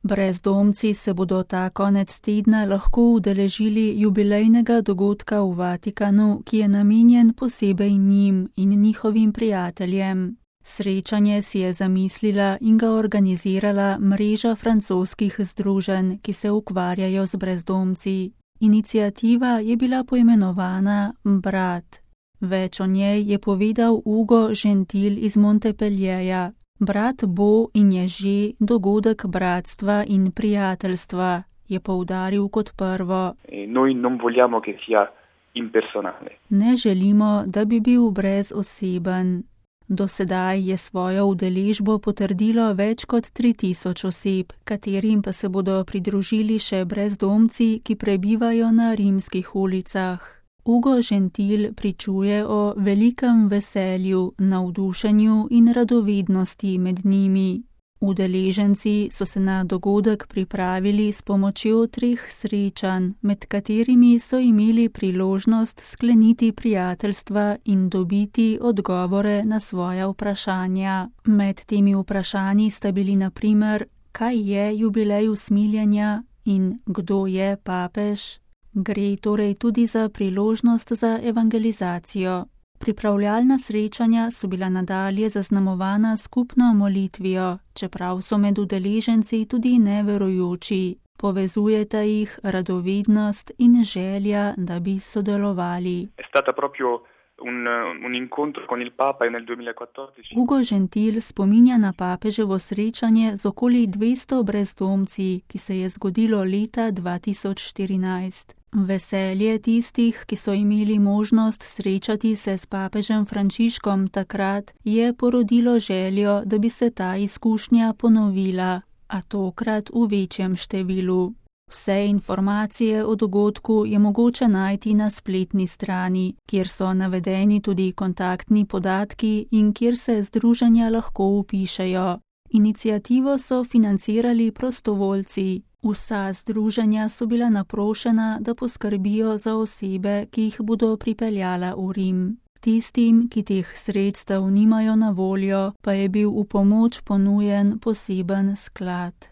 Brezdomci se bodo ta konec tedna lahko udeležili jubilejnega dogodka v Vatikanu, ki je namenjen posebej njim in njihovim prijateljem. Srečanje si je zamislila in ga organizirala mreža francoskih združenj, ki se ukvarjajo z brezdomci. Iniciativa je bila poimenovana Brat. Več o njej je povedal Hugo Gentil iz Montpellierja. Brat bo in je že dogodek bratstva in prijateljstva, je poudaril kot prvo. Noi non vogliamo che sia impersonale. Ne želimo, da bi bil brezoseben. Do sedaj je svojo udeležbo potrdilo več kot 3000 oseb, katerim pa se bodo pridružili še brezdomci, ki prebivajo na rimskih ulicah. Hugo Gentil pričuje o velikem veselju, navdušenju in radovednosti med njimi. Udeleženci so se na dogodek pripravili s pomočjo 3 srečanj, med katerimi so imeli priložnost skleniti prijateljstva in dobiti odgovore na svoja vprašanja. Med temi vprašanji sta bili na primer, kaj je jubilej usmiljenja in kdo je papež. Gre torej tudi za priložnost za evangelizacijo. Pripravljalna srečanja so bila nadalje zaznamovana skupno molitvijo, čeprav so med udeleženci tudi neverujoči. Povezujeta jih radovednost in želja, da bi sodelovali. Un incontro con il Papa nel 2014. Hugo Gentil spominja na papeževo srečanje z okoli 200 brezdomci, ki se je zgodilo leta 2014. Veselje tistih, ki so imeli možnost srečati se s papežem Frančiškom takrat, je porodilo željo, da bi se ta izkušnja ponovila, a tokrat v večjem številu. Vse informacije o dogodku je mogoče najti na spletni strani, kjer so navedeni tudi kontaktni podatki in kjer se združenja lahko vpišejo. Iniciativo so financirali prostovoljci. Vsa združenja so bila naprošena, da poskrbijo za osebe, ki jih bodo pripeljala v Rim. Tistim, ki teh sredstev nimajo na voljo, pa je bil v pomoč ponujen poseben sklad.